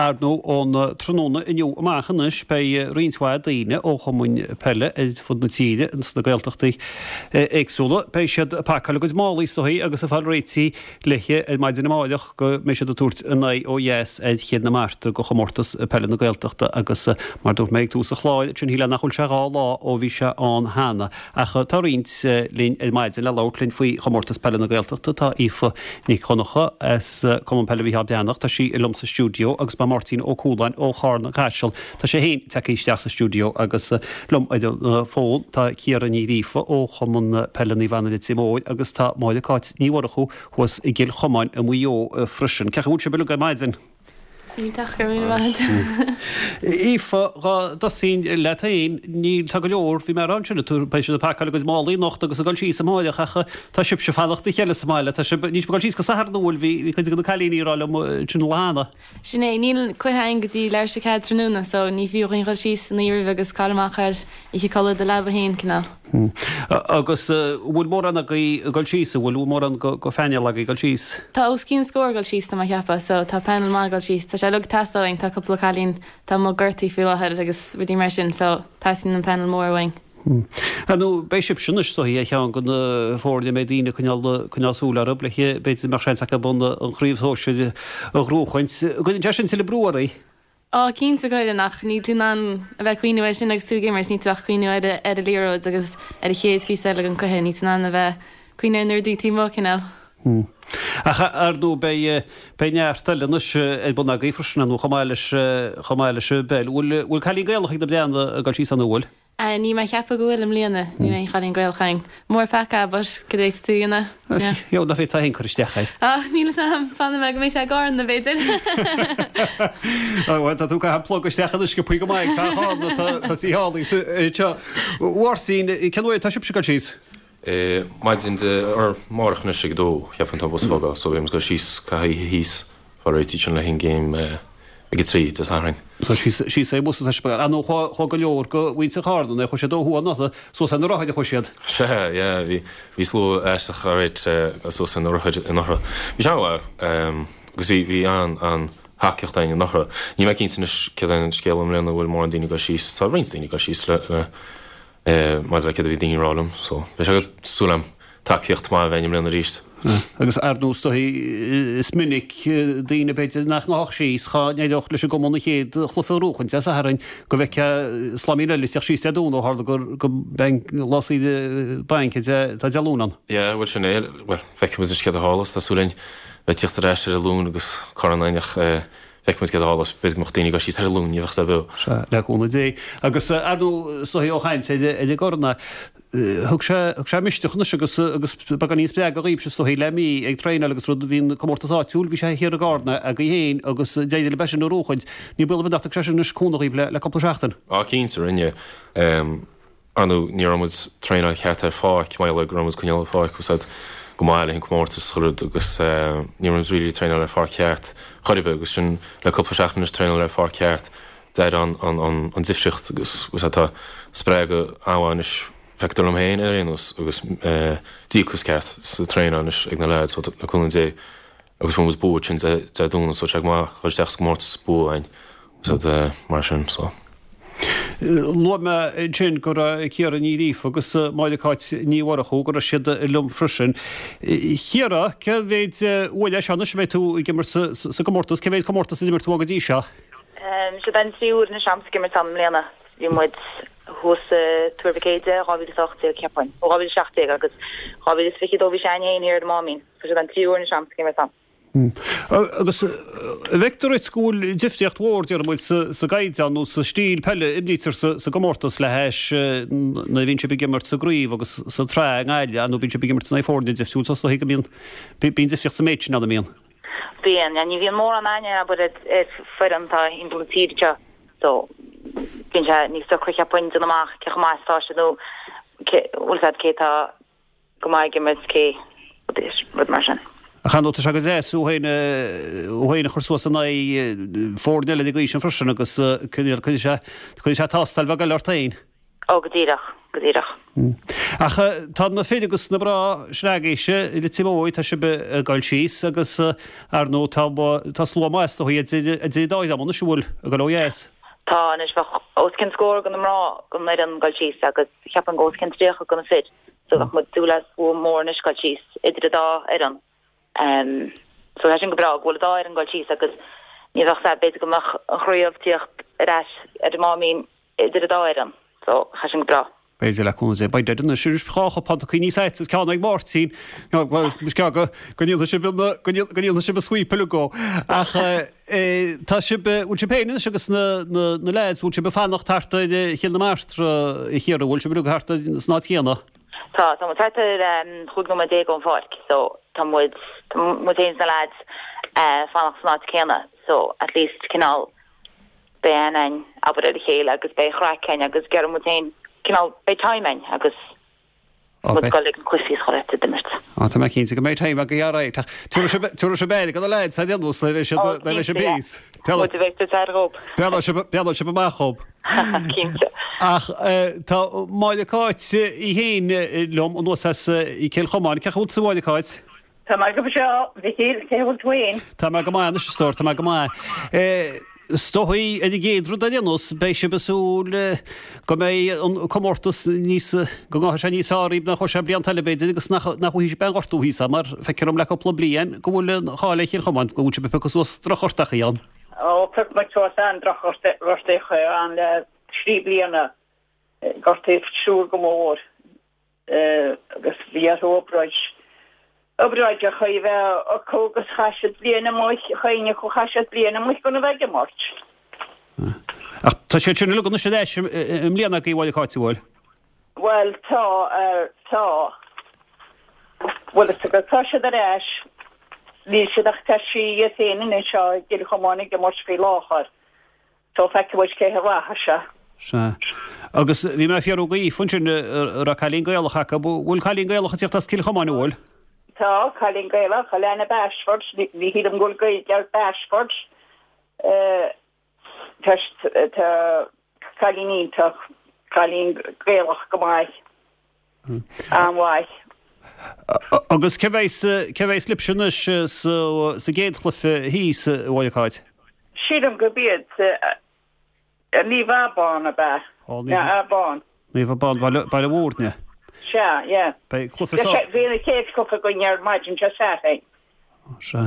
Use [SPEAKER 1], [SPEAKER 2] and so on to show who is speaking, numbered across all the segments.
[SPEAKER 1] Ar ndóigh, ón tráthnóna inniu amach anois, beidh roinnt mhaith daoine ó chumainn peile ar fud na tíre, sna Gaeltachtaí éagsúla, beidh siad ag pacáil a gcuid málaí is dóigh agus ag fáil réitithe léithe ar maidin amáireach go mbeidh siad ag tabhairt a n-aghaidh ó dheas ar Chionn na Martra go chomórtas peile na Gaeltachta agus mar dúirt mé ag tús an chláir, sin shílfeá nach bhfuil sé 2 lá ó bhí sé ann cheana. Ach tá roinnt linn ar maidin le labhairt linn faoi chomórtas peile na Gaeltachta. Tá Aoife Nic Dhonncha as Cumann Peile Mhícheál Breathnach, tá sí liom sa stiúideo agus beidh Máirtín Ó Cualáin ó Charna Caiseal, tá sé féin tagtha isteach sa stiúideo agus liom ar an bhfón tá Ciara Ní Ghríofa ó Chumann Peile Naomh Anna Leitir Móir agus tá Máire Cáit Ní Mhurchú thuas i gCill Chomáin i Maigh Eo freisin. Cén chaoi a bhfuil sibh uilig ar maidin?
[SPEAKER 2] Iontach, go raibh míle maith agat.
[SPEAKER 1] Aoife, dhá dtosóinn leat féin, níl, tá go leor, bhí mé a rá ansin, beidh siad ag pacáil a gcuid málaí anocht agus ag dul síos amáireach ach tá sibhse ag fanacht le chéile sa mbaile, tá sibh, níl sibh ag dul síos go Satharn an bhfuil, bhí, bhí cuid de na cailíní ag rá liom ansin an lá cheana.
[SPEAKER 2] Sin é, níl cluiche againn go dtí leathuair tar éis a 4 tráthnóna so ní fiú dhúinn dhul síos an oíche roimhe agus caill amach ar oíche codladh i do leaba féin, cineál.
[SPEAKER 1] Agus an bhfuil mórán agaibh ag dul síos, an bhfuil mórán de phainéal agaibh ag dul síos?
[SPEAKER 2] Tá os cionn scór ag dul síos, tá mé ag ceapadh, so tá painéal maith ag dul síos. Tá sé uilig ag teastáil uainn, tá cúpla cailín atá amuigh gortaithe faoi láthair agus rudaí mar sin, so teastaíonn an painéal mór uainn.
[SPEAKER 1] Ar ndóigh, beidh sibhse anois is dóigh ar cheann de na foirne a mbeidh daoine ag coinneáil, coinneáil súil orthu, le b'fhéidir go mbeadh seans acu an chraobh shóisir a ghnóchaint. An gcuireann sé sin tuilleadh brú oraibh?
[SPEAKER 2] Á, cinnte cuireann, ach níl tú in ann a bheith ag cuimhniú air sin agus tú ag imirt, níl tú ach ag cuimhniú ar ar an liathróid agus ar an chéad phíosa eile den cluiche, níl tú in ann a bheith ag cuimhniú ar na rudaí taobh amuigh, cineál.
[SPEAKER 1] Ach ar ndóigh beidh beidh neart eile anois ar bun agaibh freisin, ar ndóigh, chomh maith leis chomh maith leis an bpeil. Bhfuil bhfuil cailín Gaelach ag na Breathnaigh ag dul síos ann, an bhfuil?
[SPEAKER 2] Níl mé ag ceapadh go bhfuil i mbliana. Níl aon chailín Gaelach againn. Mór peaca, but cad é tá tú a dhéanamh?
[SPEAKER 1] Yeah. Yo, nach bhféadfá féin cur isteach air?
[SPEAKER 2] Ah, níl fhios a'm. Fanfaidh mé go mbeidh sé i gCarna, b'fhéidir.
[SPEAKER 1] Ah, bhuel, tá tú ag caitheamh plug isteach anois go go maith ag fear Charna, tá tá tí thall anseo. A Mháirtín, cén uair atá sibhse ag dul síos?
[SPEAKER 3] Eh, maidin Dé, or amárach anois ag a dó, cheapfainn tá an bus ag fágáil, so beidh muid ag dul síos, caitheamh oíche thíos, fáil réitithe ansin le haghaidh an game, eh, ag a 3 Dé Sathairn.
[SPEAKER 1] So síos, síos ar an bhus atá sibh, ar ndóigh chuaigh, chuaigh go leor de mhuintir Charna, nuair a chuaigh siad ó thuaidh anuraidh, suas ar na rothair a chuaigh siad.
[SPEAKER 3] Sea, yeah, bhí, bhí slua aisteach alright suas ar na rothair anuraidh. Bhí sé an-mhaith, agus bhí, bhí an, an thacaíocht againn anuraidh. Níl mé cinnte anois céard é an scéal i mbliana, an bhfuil mórán daoine ag dul síos, tá roinnt daoine ag dul síos le, le, maidir le céard a bhí daoine ag rá liom. So, beidh sé go, súil agam tacaíocht maith a bheith againn i mbliana arís.
[SPEAKER 1] Agus ar ndóigh is dóigh is minic daoine b'fhéidir nach ngabhfadh síos dhá n-éireodh leis an gcumann an chéad chluiche a ghnóchaint Dé Sathairn go bhfeicfeá slaimín eile ag teacht síos Dé Domhnaigh ó tharla gur go mbeidh lá saoire bainc atá Dé Luain ann.
[SPEAKER 3] Yeah, bhuel sin é. Bhuel, feicfidh muid anois céard a tharlós. Tá súil againn bheith ag tíocht ar ais ar an Luan agus corn againn ach eh, Feicfidh muid céard a tharlós. B'fhéidir go mbeadh daoine ag dul síos ar an Luan, ní bheadh sé beo.
[SPEAKER 1] Sea, le cúnamh Dé. Agus ar ndóigh, is dóigh ó chaint ar an gcorn, thug sé, thug sé misneach anois agus, agus beagáinín spreagadh dhaoibhse is dóigh le mí ag traenáil agus rud, bhí an comórtas áitiúil, bhí sé thiar i gCarna agaibh féin agus d'éirigh libh é sin a ghnóchaint. Ní baol ar bith nach dtug sé sin anois cúnamh dhaoibh le, le cúpla seachtain.
[SPEAKER 3] Á, cinnte, rinne. Ar ndóigh, ní raibh muid traenáil ceart ar pháirc, mar gheall ar go raibh muid coinneáil an pháirc úsáid go maith le haghaidh an comórtas chuile rud agus ní raibh muid really traenáil ar pháirc cheart chor ar bith agus sin le cúpla seachtain anois traenáil ar pháirc cheart d'éirigh an an an an difríocht agus agus tá spreagadh an-mhaith anois feictear liom féin ar aon nós agus díocas ceart sa traenáil anois ag na lads le cúnamh Dé. Agus fuair muid bua ansin Dé Domhnaigh so tá sé go maith dhul isteach sa gcomórtas bua againn so mar sin so.
[SPEAKER 1] Luaigh mé ansin go raibh Ciara Ní Ghríofa agus Máire Cáit Ní Mhurchú, go raibh siad liom freisin. Ciara, cé mhéid uair é seo anois a mbeidh tú ag imirt sa gcomórtas? Cé mhéid comórtas a d'imir tú go dtí seo?
[SPEAKER 4] Seo an tríú huair anois a'msa ag imirt ann i mbliana. Bhí muid thuas i Tuar Mhic Éide 2018 cheapfainn, nó 2017 agus 2022 bhí sé againn féin thiar ar an Máimín. Tá sé an tríú huair anois a'msa ag imirt ann.
[SPEAKER 1] Agus an bhfeictear duit go bhfuil difríocht mhór, déarfaidh muid, sa gcaighdeán nó sa stíl peile a imrítear sa gcomórtas le hais nuair a bhíonn sibh ag imirt sa gcraobh agus sa tsraith i nGaillimh, nó bíonn sibh ag imirt in aghaidh foirne difriúil, so is dóigh go mbíonn bíonn difríocht sa méid sin ann, an mbíonn?
[SPEAKER 4] Bíonn, yeah. Ní bhíonn mórán aithne, abair, ar foireann atá thimpeall na tíre seo so bíonn sé níos deacra cheapfainn déanamh amach cé chomh maith is atá siad nó cé, bhfuil 's a'd cé atá go maith ag imirt cé rud mar sin.
[SPEAKER 1] Ach ar ndóigh tá sé go deas thú féin thú féin a chur suas in aghaidh foirne eile ag an gcaoi sin freisin agus cuirfidh sé cuirfidh sé tástáil bheag eile ort féin.
[SPEAKER 4] Ó go díreach, go díreach.
[SPEAKER 1] Ach tá na fir agus na mná sin agaibhse i Leitir Móir, tá sibh ag dul síos agus ar ndóigh tá tá slua maith is dóigh idir idir an dá dhream anois an bhfuil ag dul ó dheas.
[SPEAKER 4] Tá anois bheadh os cionn scór de na mná den fhoireann ag dul síos agus cheapfainn go os cionn 30 de na fir so bheadh muid ag súil le slua mór anois ag dul síos idir an dá fhoireann. So tá sin go breá go bhfuil an dá fhoireann ag dul síos agus ní bheadh sé b'fhéidir go mbeadh an chraobh ag tíocht ar ais ar an Máimín idir an dá fhoireann so tá sin go breá.
[SPEAKER 1] B'fhéidir le cúnamh Dé. Beidh deireadh anois arís dhá chupán tugtha níos aite is ceann ag Máirtín. Bhuel, is ceann go go ndéanfaidh sibh an go ndéanfaidh sibh an sweep uilig dhó. Ach tá sibh, bhfuil sibh féin anois agus na na na leaids, bhfuil sibh ag fanacht thart ar Chill na Martra a Chiara, bhfuil sibh uilig thart san áit chéanna?
[SPEAKER 4] Tá, tá muid thart ar 15 nóiméad ón pháirc so tá muid, tá muid féin is na leaids fanacht san áit céanna so at least cineál beidh aithne a'inn abair ar a chéile agus beidh craic a'inn agus gheobhaidh muid féin cineál beidh time a'inn agus muid ag dul ag na cluichí is chuile áit ag imirt.
[SPEAKER 1] Á tá mé cinnte go mbeidh time agaibh alright ach tabharfaidh sibh aire do na leaids ar aon nós nuair a bheidh siad nuair a bheidh sibh thíos.
[SPEAKER 4] Muid a bheidh sa aire dhób.
[SPEAKER 1] Breathnóidh sibh amach dhób.
[SPEAKER 4] Cinnte.
[SPEAKER 1] Ach tá Máire Cáit í féin liom anuas as Cill Chomáin. Cén chaoi a bhfuil tú a Mháire Cáit?
[SPEAKER 5] Tá mé go breá, a Mhichíl, cén chaoi a bhfuil tú féin?
[SPEAKER 1] Tá mé go maith anois, a stór, tá mé go maith. Is dóigh, ar an gcéad rud ar aon nós, beidh sibh ag súil go mbeidh an comórtas níos, go ngabhfaidh sé níos fearr dhaoibh ná chuaigh sé blianta eile b'fhéidir agus nach bhfaighidh sibh aon ghortú thíos ann mar feictear dom le cúpla bliain go bhfuil an cháil ar Chill Chomáin go bhfuil sibh ag piocadh suas drochghortachaí ann.
[SPEAKER 5] Ó, phioc muid suas an-drochghortachaí ann le thrí bliana, gortaíodh triúr go mór. agus bhí orthu obráid, obráideacha a bheith acu agus chaith siad bliain amuigh, chuile dhuine acu chaith siad bliain amuigh gan a bheith ag imirt.
[SPEAKER 1] Ach tá siad sin uilig anois ar ais i mbliana agaibh, a Mháire Cáit, an bhfuil?
[SPEAKER 5] Bhuel, tá, tá. Bhuel, is agat, tá siad ar ais. Níl siad ach tá sí iad féin anois i gCill Chomáin ag imirt faoi láthair. So feicfidh muid cé a rachaidh sé.
[SPEAKER 1] Sea. Agus bhí mé ag fiafraí dh'Aoife ansin, an raibh cailín Gaelach acu. Bhfuil cailín Gaelach ag tíocht as Cill Chomáin, an bhfuil?
[SPEAKER 5] Tá, cailín Gaelach, Alana Bashford, ní shílim go bhfuil Gaeilge ar Bashford. Tá, tá cailín iontach, cailín Gaelach go maith, an-mhaith.
[SPEAKER 1] Agus cé bheas, cé bheas libhse anois sa, sa gcéad chluiche thíos, a Mháire Cáit?
[SPEAKER 5] Sílim gurb iad Naomh Abán ab ea? Ó, Naomh Abán.
[SPEAKER 1] Naomh Abán, Baile, Baile Mhúirne.
[SPEAKER 5] Sea, yeah.
[SPEAKER 1] Beidh cluiche sa.
[SPEAKER 5] Bhí an chéad chluiche againn ar maidin Dé Sathairn.
[SPEAKER 1] Sea.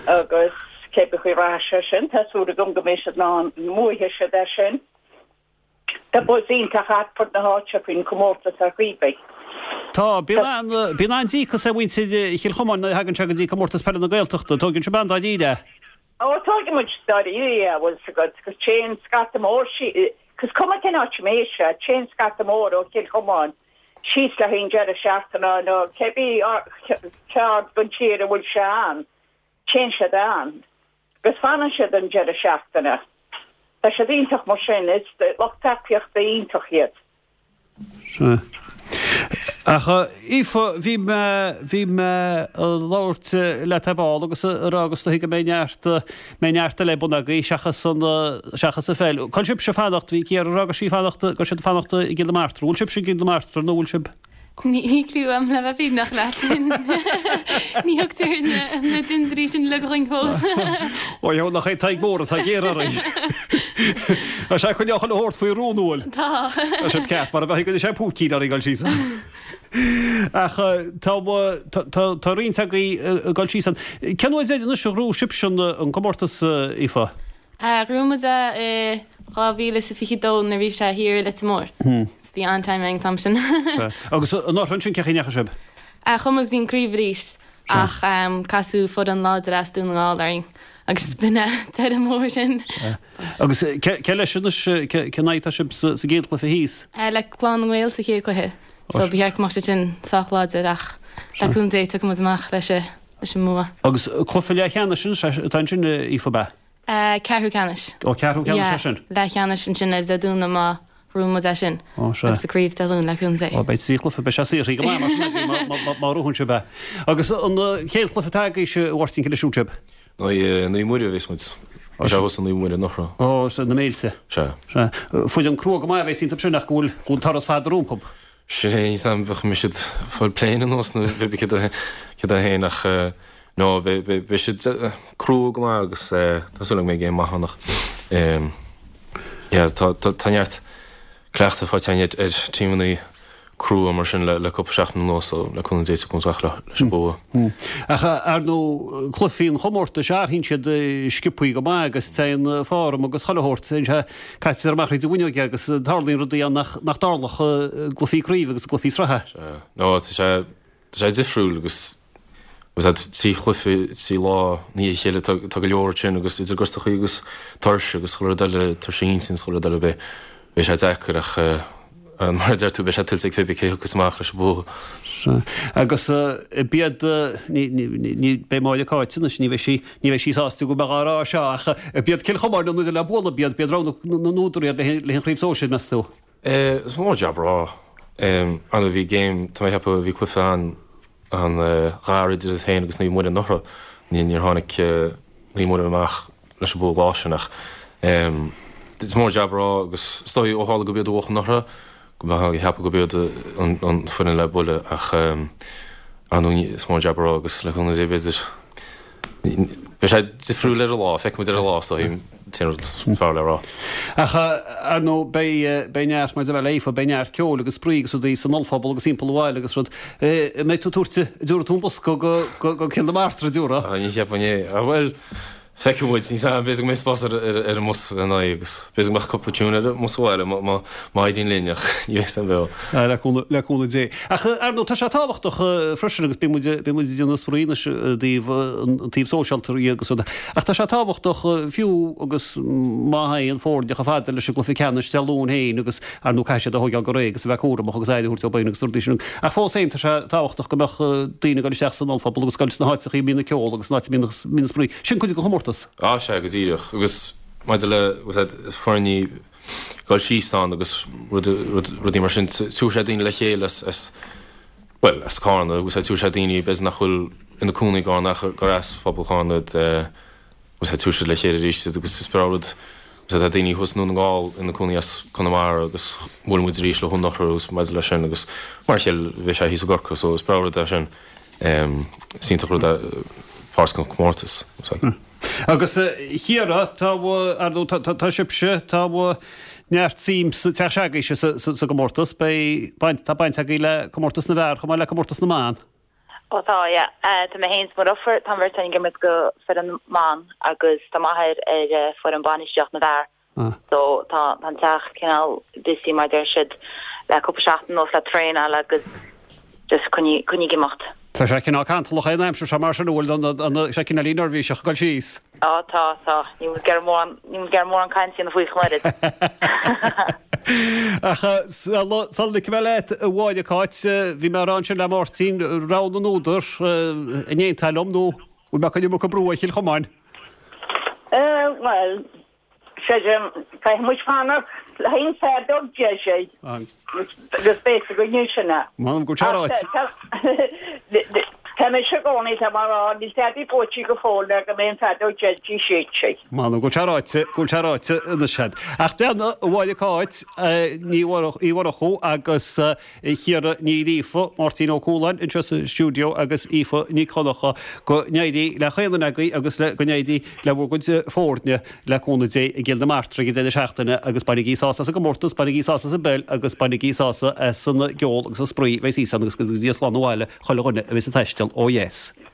[SPEAKER 5] Agus cé chaoi rachaidh sé sin, tá súil agam go mbeidh siad in ann, mbuafaidh siad é sin. Tá buzz iontach thart fud na háite faoin chomórtas ar chaoi ar bith.
[SPEAKER 1] Tá. Bíonn an, bíonn an-díocas ar mhuintir Chill Chomáin nuair a thagann sé go dtí Comórtas Peile na Gaeltachta. Tóigeann sibh an-dáiríre é.
[SPEAKER 5] Ó, tóigeann muid dáiríre é, bhfuil 's agat, 'cause téann scata mór, 'cause cuma cén áit a mbeidh sé, téann scata mór ó Chill Chomáin síos le haghaidh an deireadh seachtaine nó cébí ceard den tír a bhfuil sé ann, téann siad ann agus fanann siad an deireadh seachtaine. Tá siad iontach mar sin, is lucht tacaíochta iontach iad.
[SPEAKER 1] Sea. Ach, Aoife, bhí mé, bhí mé ag labhairt leat ar ball agus ag rá go is dóichí go mbeidh neart, mbeidh neart eile ar bun agaibh seachas an, seachas an pheil. Cá bhfuil sibhse ag fanacht, bhí Ciara ag rá go raibh sí ag fanacht, go raibh siad ag fanacht i gCill na Martra. Bhfuil sibhse i gCill na Martra nó bhfuil sibh?
[SPEAKER 2] Níl cliú a'm le bheith fírinneach leat. Ní thugtar na dintiúirí sin uilig chugainn fós.
[SPEAKER 1] Ó dheabhal nach é Tadhg Mór atá géar orainn. Tá sé ag coinneáil chuile shórt faoi rún, an bhfuil?
[SPEAKER 2] Tá.
[SPEAKER 1] Tá sé ceart, mar a bheadh go sé púicín orainn dul síos. Ach tá tá roinnt agaibh ag dul síos ann. Cén uair deireanach a ghnóthaigh sibhse an comórtas, Aoife?
[SPEAKER 2] Ghnóthaigh muid é i 2022 nuair a bhí sé thiar i Leitir Móir. So bhí an-time againn an t-am sin.
[SPEAKER 1] Sea. Agus anuraidh ansin cén chaoi a ndeachaigh sibh?
[SPEAKER 2] Chuaigh muid go dtí an craobh arís ach casadh foireann láidir as Dún na nGall orainn agus b'in é deireadh mór sin.
[SPEAKER 1] Sea. Agus cé leis anois, cén aghaidh atá sibh sa gcéad chluiche thíos?
[SPEAKER 2] Le Clann na nGael sa chéad chluiche. So ba cheart go mbeadh siad sin sách láidir ach le cúnamh Dé tiocfaidh muid amach leis an mbua.
[SPEAKER 1] Agus cluiche leathcheannais anois atá ansin, Aoife, ab ea?
[SPEAKER 2] Ceathrú ceannais.
[SPEAKER 1] Ó, ceathrú ceannais é sin.
[SPEAKER 2] Yeah, leathcheannais ansin ar Dé Domhnaigh má ghnóthaíonn muid é sin.
[SPEAKER 1] Ó, sea.
[SPEAKER 2] Agus sa craobh Dé Luain le cúnamh Dé.
[SPEAKER 1] Ó, beidh trí chluiche, beidh sé saothraithe go maith mar sin agaibh má ghnóthaíonn sibh é. Agus an chéad chluiche atá agaibhse, a Mháirtín, cé leis a bhfuil sibh?
[SPEAKER 3] Naomh Muire a bheas muid. Tá sé thuas i Naomh Muire anuraidh.
[SPEAKER 1] Ó, sea, na Méilte.
[SPEAKER 3] Sea.
[SPEAKER 1] Sea. Foireann crua go maith a bheas iontu sin ach go bhfuil, go bhfuil turas fada rompu.
[SPEAKER 3] Sin é, níl 's a'm, bheadh mbeidh siad ag fáil pléin anuas nó pé bith céard é céard é féin ach no beidh beidh beidh siad crua go maith agus tá súil agam go mbeidh game maith ann ach yeah tá tá tá neart cleachtadh faighte againn ar ar tímeanna crua mar sin le le cúpla seachtain anuas so le cúnamh Dé tiocfaidh muid amach leis an bua.
[SPEAKER 1] Ach ar ndóigh cluichí an chomórtais athraíonn siad sciobthaí go maith agus téann form agus chuile shórt téann sé Caitear amach thríd an bhfuinneog agus tarlaíonn rudaí ann nach dtarlódh i gcluichí craoibhe agus i gcluichí sraithe.
[SPEAKER 3] Sea. No, tá sé, tá sé difriúil agus agus tá chluiche, trí lá i ndiaidh a chéile, tá, tá go leor ansin agus idir gortachaí agus tuirse agus chuile rud eile, tuirse intinne agus chuile rud eile, beidh, beidh sé deacair ach eh, mar a deir tú, beidh sé tuillte ag pé bith cé thiocfas amach leis an bua.
[SPEAKER 1] Sea. Agus b'iad, ní, ní, ní, beidh Máire Cáit anois, ní bheidh sí, Ní bheidh sí sásta go mbeadh á rá seo ach b'iad Cill Chomáin an fhoireann le bualadh, b'iad b'iad rogha na n-údar iad le an chraobh sóisir, meas tú?
[SPEAKER 3] Is mór jab a rá. Ar ndóigh bhí game, tá mé ag ceapadh, bhí cluiche an an-ghar idir iad féin agus Naomh Muire anuraidh. Níor tháinig Naomh Muire amach leis an bua lá sin ach is mór jab a rá agus is dóigh ó tharla gurb iad a bhuaigh anuraidh go mbeifeá ag ceapadh gurb iad an foireann le bualadh ach ar ndóigh is mór jab a rá agus le cúnamh Dé b'fhéidir beidh sé difriúil ar an lá, feicfidh muid ar an lá is dóigh an t-aon rud is fearr le rá.
[SPEAKER 1] Ach ar ndóigh beidh beidh neart mar a deir Aoife beidh neart ceoil agus spraoi agus rudaí san ollphuball agus timpeall an bhaile agus rud. An mbeidh tú ag tabhairt an dtabharfaidh tú an bosca go go Cill na Martra an dtabharfaidh?
[SPEAKER 3] Ní cheapfainn é. Bhuel Feicfidh muid, níl 's a'm, b'fhéidir go mbeidh spás ar an mbus lena aghaidh agus b'fhéidir go mbeadh cúpla tune ar an mbus abhaile má éiríonn linn ach ní bheidh 's a'm beo.
[SPEAKER 1] Le cúnamh Dé. Ach ar ndóigh tá sé tábhachtach freisin agus bíonn muid bíonn muid ag déanamh spraoi anois i dtaobh an taobh sóisialta agus rud ach tá sé tábhachtach fiú agus má théann foirne chomh fada leis an gcluiche ceannais Dé Luain féin agus Ar ndóigh caithfidh siad a thóigeáil go réidh agus a bheith cúramach agus aire a thabhairt dóibh féin agus na rudaí sin. Ach fós féin tá sé tábhachtach go mbeadh daoine ag dul isteach san ollphuball agus ag dul sna háiteachaí a mbíonn an ceol agus sna háit a mbíonn an spraoi. Sin cuid den chomórtas.
[SPEAKER 3] Á sea, go díreach. Agus maidir le, bhfuil 's a'd, foirní dul síos ann agus rudaí mar sin, tabharfaidh sé daoine le chéile as, as, bhuel, as Carna, bhfuil 's a'd, tabharfaidh sé daoine b'fhéidir nach bhfuil ina cónaí i gCarna ach gur as phobal Charna iad, Agus tabharfaidh siad le chéile arís iad agus is breá rud agus tá daoine thuas i nDún na nGall ina cónaí as Conamara agus bhuail muid arís leo anuraidh agus maidir leis sin agus mar a chéile bhí sé thíos i gCorcaigh so is breá rud é sin. Is iontach rud é páirt den chomórtas.
[SPEAKER 1] Agus a Chiara, tá, ar ndóigh, tá, tá sibhse, tá neart suim sa teach s'agaibhse sa, sa, sa gcomórtas. Beidh baint, tá baint agaibh le comórtas na bhfear chomh maith le comórtas na mban.
[SPEAKER 4] Ó tá, yeah. Tá mé féin is mo dheirfiúr, tá an bheirt againn ag imirt go foireann na mban agus tá m'athair ar foireann bainistíocht na bhfear. So tá an teach cineál busy mar deir siad le cúpla seachtain anuas le traenáil agus just coinnigh ag imeacht.
[SPEAKER 1] Tá sé cineál cantalach é an aimsir seo mar sin an bhfuil sé cineáilín neirbhíseach ag dul síos.
[SPEAKER 4] Á, tá, tá. Níl muid ag iarraidh mórán, níl muid ag iarraidh mórán cainte a dhéanamh faoi ach an oiread.
[SPEAKER 1] Ach sula ligfidh mé leat, a Mháire Cáit, bhí mé ag rá ansin le Máirtín, rogha na n-údar, an aontófá liom nó bhfuil mé ag cur an iomarca brú ar Chill Chomáin?
[SPEAKER 5] Bhuel, Creidim, caithfidh muid fanacht le haghaidh an feadóg deiridh agus beidh a fhios againn ansin é.
[SPEAKER 1] M'anam go bhfuil sé ráite.
[SPEAKER 5] Tá mise i gcónaí, tá mé ag rá, níl tada buaite go fóill le go mbeidh an feadóg deiridh séidte.
[SPEAKER 1] M'anam go bhfuil sé ráite, go bhfuil sé ráite anois agat. Ach breathnaigh, a Mháire Cáit Ní Mhurchú agus Ciara Ní Ghríofa, Máirtín Ó Cualáin anseo sa stiúideo agus Aoife Nic Dhonncha. Go n-éirí le chaon duine agaibh agus le go n-éirí le bhur gcuid foirne le cúnamh Dé i gCill na Martra ag an deireadh seachtaine agus bainigí sásamh as an gcomórtas, bainigí sásamh as an bpeil agus bainigí sásamh as an gceol agus an spraoi a bheidh thíos ann agus go dtí slán abhaile chuile dhuine a bheas ag taisteal ó dheas.